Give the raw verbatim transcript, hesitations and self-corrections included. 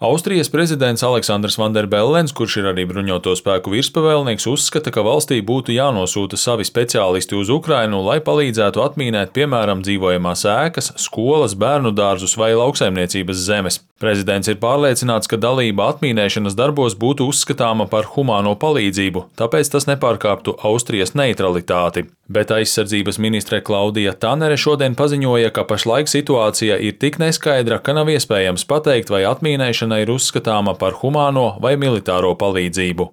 Austrijas prezidents Aleksandrs Vanderbellens, kurš ir arī bruņoto spēku virspavēlnieks, uzskata, ka valstī būtu jānosūta savi speciālisti uz Ukrainu, lai palīdzētu atmīnēt, piemēram, dzīvojamās ēkas, skolas, bērnu dārzus vai lauksaimniecības zemes. Prezidents ir pārliecināts, ka dalība atmīnēšanas darbos būtu uzskatāma par humāno palīdzību, tāpēc tas nepārkāptu Austrijas neutralitāti. Bet aizsardzības ministre Klaudija Tanere šodien paziņoja, ka pašlaik situācija ir tik neskaidra, ka nav iespējams pateikt, vai atmīnēšana ir uzskatāma par humāno vai militāro palīdzību.